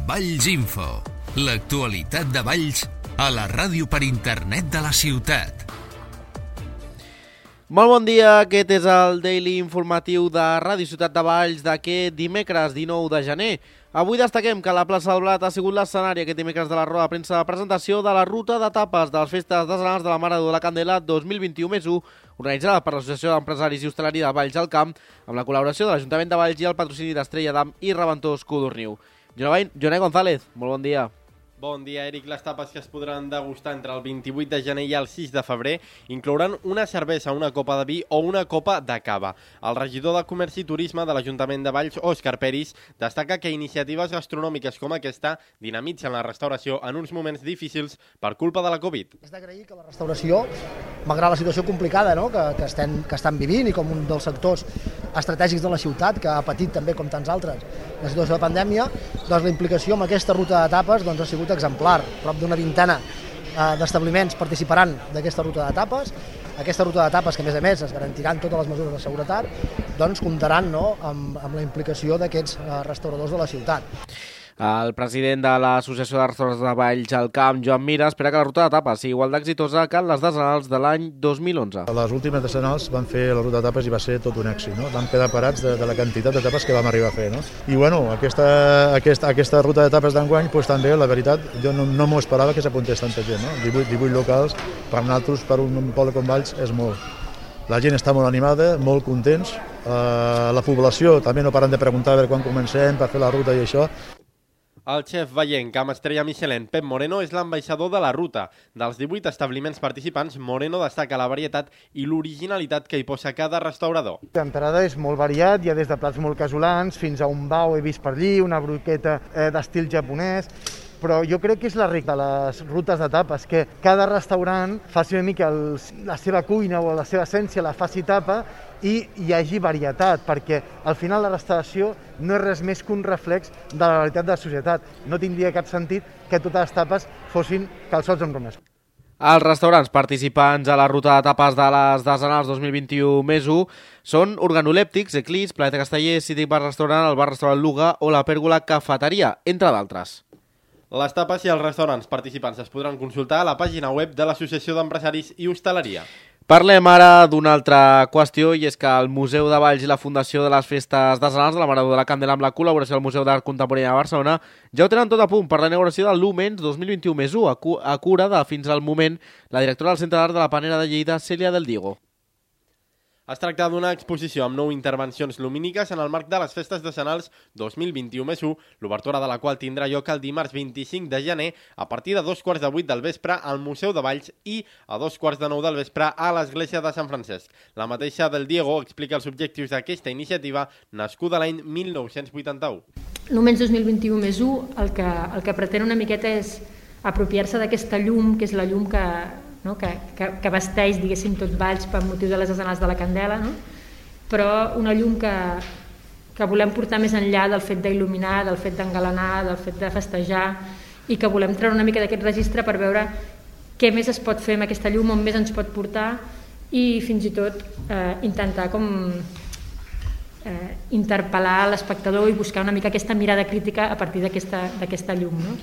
Valls Info, l'actualitat de Valls a la ràdio per internet de la ciutat. Molt bon dia, aquest és el Daily Informatiu de Ràdio Ciutat de Valls d'aquest dimecres 19 de gener. Avui destaquem que la plaça del Blat ha sigut l'escenari aquest dimecres de la roda de premsa de presentació de la ruta d'etapes de les festes decenals de la Mare de la Candela 2021+1, organitzada per l'Associació d'Empresaris i Hostaleria de Valls al Camp, amb la col·laboració de l'Ajuntament de Valls i el patrocini d'Estrella d'Am i Reventós Codorniu. Joné González, molt bon dia. Bon dia, Eric. Les tapes que es podran degustar entre el 28 de gener i el 6 de febrer inclouran una cervesa, una copa de vi o una copa de cava. El regidor de Comerç i Turisme de l'Ajuntament de Valls, Òscar Peris, destaca que iniciatives gastronòmiques com aquesta dinamitzen la restauració en uns moments difícils per culpa de la Covid. És d'agrair que la restauració, malgrat la situació complicada que estan vivint i com un dels sectors estratègics de la ciutat, que ha patit també, com tants altres, la situació de pandèmia, doncs la implicació amb aquesta ruta d'etapes ha sigut exemplar. Prop d'una vintena d'establiments participaran d'aquesta ruta d'etapes. Aquesta ruta d'etapes, que a més es garantiran totes les mesures de seguretat, doncs comptaran amb la implicació d'aquests restauradors de la ciutat. El president de l'Associació de Restauradors de Valls al Camp, Joan Mira, espera que la ruta d'etapes sigui igual d'exitosa que les decenals de l'any 2011. Les últimes decenals van fer la ruta d'etapes i va ser tot un èxit, no? Vam quedar parats de la quantitat d'etapes que vam arribar a fer, no? I bueno, aquesta ruta d'etapes d'enguany, doncs també, la veritat, jo no m'ho esperava que s'apuntés tanta gent, no? 18 locals, per nosaltres, per un poble com Valls, és molt. La gent està molt animada, molt contents. La població també no paren de preguntar a veure quan comencem per fer la ruta i això. El xef vallenc amb estrella Michelin, Pep Moreno, és l'ambaixador de la ruta. Dels 18 establiments participants, Moreno destaca la varietat i l'originalitat que hi posa cada restaurador. L'entrada és molt variat, hi ha des de plats molt casolans fins a un bao he vist per allí, una broqueta d'estil japonès, però jo crec que és la rica de les rutes d'etapes, que cada restaurant faci una mica la seva cuina o la seva essència, la faci etapa i hi hagi varietat, perquè al final la restauració no és res més que un reflex de la realitat de la societat. No tindria cap sentit que totes les tapes fossin calçots amb romesco. Els restaurants participants a la ruta d'etapes de les decenals 2021+1 són Organolèptics, Eclís, Planeta Casteller, City Bar Restaurant, el Bar Restaurant Luga o la Pèrgola Cafeteria, entre d'altres. Les tapes i els restaurants participants es podran consultar a la pàgina web de l'Associació d'Empresaris i Hostaleria. Parlem ara d'una altra qüestió, i és que el Museu de Valls i la Fundació de les Festes Decenals de la Mare de la Candela amb la col·laboració del Museu d'Art Contemporani de Barcelona ja ho tenen tot a punt per la inauguració del Lumens 2021+1 a cura de, fins al moment, la directora del Centre d'Art de la Panera de Lleida, Cèlia del Diego. Es tracta d'una exposició amb 9 intervencions lumíniques en el marc de les Festes Decenals 2021+1, l'obertura de la qual tindrà lloc el dimarts 25 de gener a partir de 2:15 del vespre al Museu de Valls i a 2:45 del vespre a l'Església de Sant Francesc. La mateixa del Diego explica els objectius d'aquesta iniciativa nascuda l'any 1981. Lumens 2021+1 el que pretén una miqueta és apropiar-se d'aquesta llum, que és la llum que vesteix, diguéssim, tot Valls per motiu de les decenals de la Candela, no? Però una llum que volem portar més enllà del fet d'il·luminar, del fet d'engalanar, del fet de festejar, i que volem treure una mica d'aquest registre per veure què més es pot fer amb aquesta llum, on més ens pot portar, i fins i tot intentar interpel·lar l'espectador i buscar una mica aquesta mirada crítica a partir d'aquesta llum, no?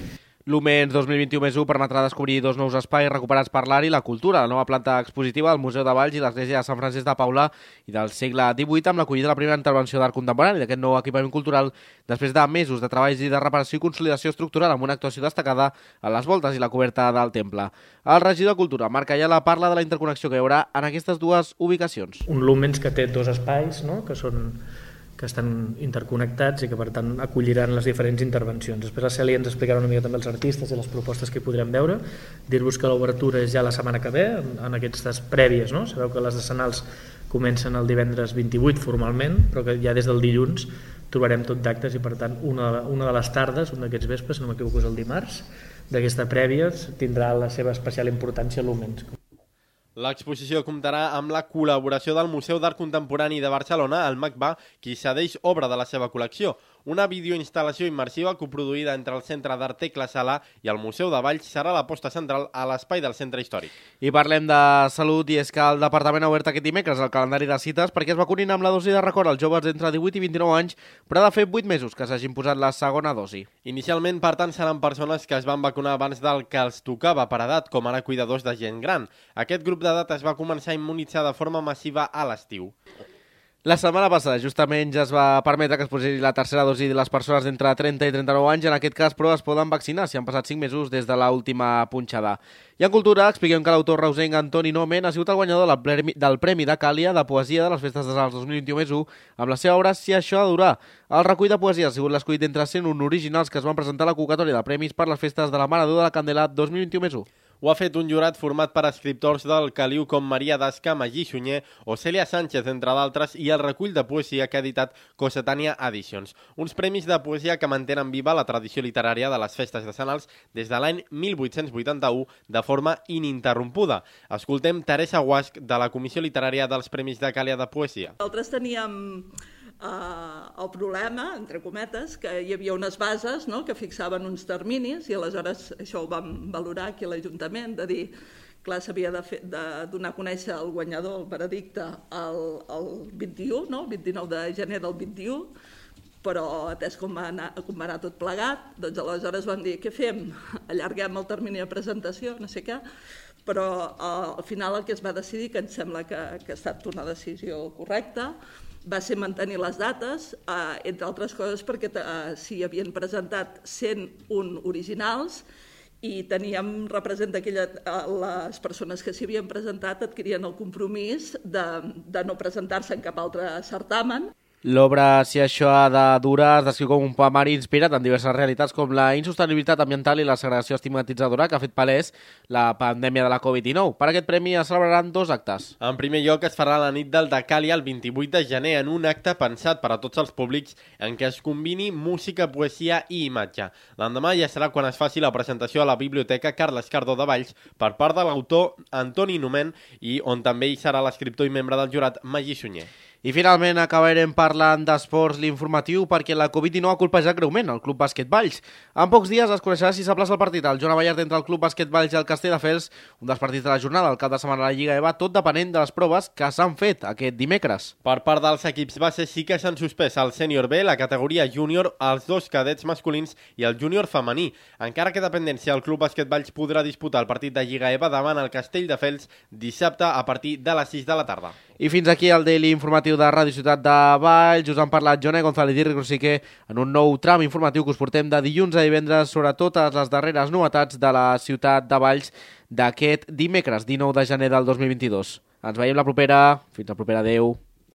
Lumens 2021+1 permetrà descobrir 2 nous espais recuperats per l'art i la cultura, la nova planta expositiva del Museu de Valls i l'Església de Sant Francesc de Paula i del segle XVIII, amb l'acollida de la primera intervenció d'art contemporani d'aquest nou equipament cultural després de mesos de treballs i de reparació i consolidació estructural amb una actuació destacada a les voltes i la coberta del temple. El regidor de Cultura, Marc Ayala, parla de la interconnexió que hi haurà en aquestes dues ubicacions. Un Lumens que té 2 espais, no?, que estan interconnectats i que per tant acolliran les diferents intervencions. Després la Cèlia ens explicarà una mica també els artistes i les propostes que hi podrem veure. Dir-vos que l'obertura és ja la setmana que ve, en aquestes prèvies, no? Sabeu que les decenals comencen el divendres 28 formalment, però que ja des del dilluns trobarem tot d'actes i per tant una de les tardes, un d'aquests vespres, si no m'equivoco és el dimarts, d'aquesta prèvia tindrà la seva especial importància a Lumens. L'exposició comptarà amb la col·laboració del Museu d'Art Contemporani de Barcelona, el MACBA, qui cedeix obra de la seva col·lecció. Una videoinstal·lació immersiva coproduïda entre el Centre d'Art Tecla Sala i el Museu de Valls serà la posta central a l'espai del centre històric. I parlem de salut, i és que el Departament ha obert aquest dimecres el calendari de cites perquè es vacunin amb la dosi de record als joves d'entre 18 i 29 anys, però ha de fer 8 mesos que s'hagin posat la segona dosi. Inicialment, per tant, seran persones que es van vacunar abans del que els tocava per edat, com ara cuidadors de gent gran. Aquest grup d'edat es va començar a immunitzar de forma massiva a l'estiu. La setmana passada, justament, ja es va permetre que es posi la tercera dosi de les persones d'entre 30 i 39 anys. En aquest cas, però, es poden vaccinar si han passat 5 mesos des de l'última punxada. I en cultura, expliquem que l'autor reusenc Antoni Nomen ha sigut el guanyador del Premi de Càlia de Poesia de les Festes de Sants 2021 amb la seva obra Si això ha de durar. El recull de poesia ha sigut l'escollit entre 101 originals que es van presentar a la convocatòria de premis per les Festes de la Mare de Déu de la Candela 2021. Ho ha fet un jurat format per escriptors del caliu com Maria Dasca, Magí Sunyer o Cèlia Sánchez, entre d'altres, i el recull de poesia que ha editat Cossetània Editions. Uns premis de poesia que mantenen viva la tradició literària de les festes de Sant Alps des de l'any 1881 de forma ininterrompuda. Escoltem Teresa Guasch, de la Comissió Literària dels Premis de Càlia de Poesia. Nosaltres teníem el problema, entre cometes, que hi havia unes bases, no?, que fixaven uns terminis i aleshores això ho vam valorar aquí a l'Ajuntament, de dir, clar, s'havia de donar a conèixer el guanyador, el veredicte, el 21, no?, el 29 de gener del 21, però atès com va anar tot plegat, doncs aleshores vam dir, què fem? Allarguem el termini de presentació, no sé què, però al final el que es va decidir, que em sembla que ha estat una decisió correcta, va ser mantenir les dates, entre altres coses perquè s'hi havien presentat 101 originals i teníem les persones que s'hi havien presentat adquirien el compromís de no presentar-se en cap altre certamen. L'obra Si això ha de durar es descriu com un poemari inspirat en diverses realitats com la insostenibilitat ambiental i la segregació estigmatitzadora que ha fet palès la pandèmia de la Covid-19. Per aquest premi es celebraran 2 actes. En primer lloc, es farà la nit del Decàlia el 28 de gener en un acte pensat per a tots els públics en què es combini música, poesia i imatge. L'endemà ja serà quan es faci la presentació a la Biblioteca Carles Cardó de Valls per part de l'autor Antoni Nomen i on també hi serà l'escriptor i membre del jurat Magí Sunyer. I finalment acabarem parlant d'esports, l'informatiu, perquè la Covid-19 ha colpejat greument el Club Bàsquet Valls. En pocs dies es coneixerà si s'aplaça el partit al Joan Abellart entre el Club Bàsquet Valls i el Castelldefels, un dels partits de la jornada, el cap de setmana de la Lliga EVA, tot depenent de les proves que s'han fet aquest dimecres. Per part dels equips bases sí que s'han suspès el sènior B, la categoria júnior, els 2 cadets masculins i el júnior femení. Encara que dependència, el Club Bàsquet Valls podrà disputar el partit de Lliga EVA davant el Castelldefels dissabte a partir de les 6 de la tarda. I fins aquí el Daily Informatiu de Ràdio Ciutat de Valls. Us han parlat Joné González i Ric Rosique en un nou tram informatiu que us portem de dilluns a divendres sobre totes les darreres novetats de la Ciutat de Valls d'aquest dimecres 19 de gener del 2022. Ens veiem la propera. Fins la propera. Adéu.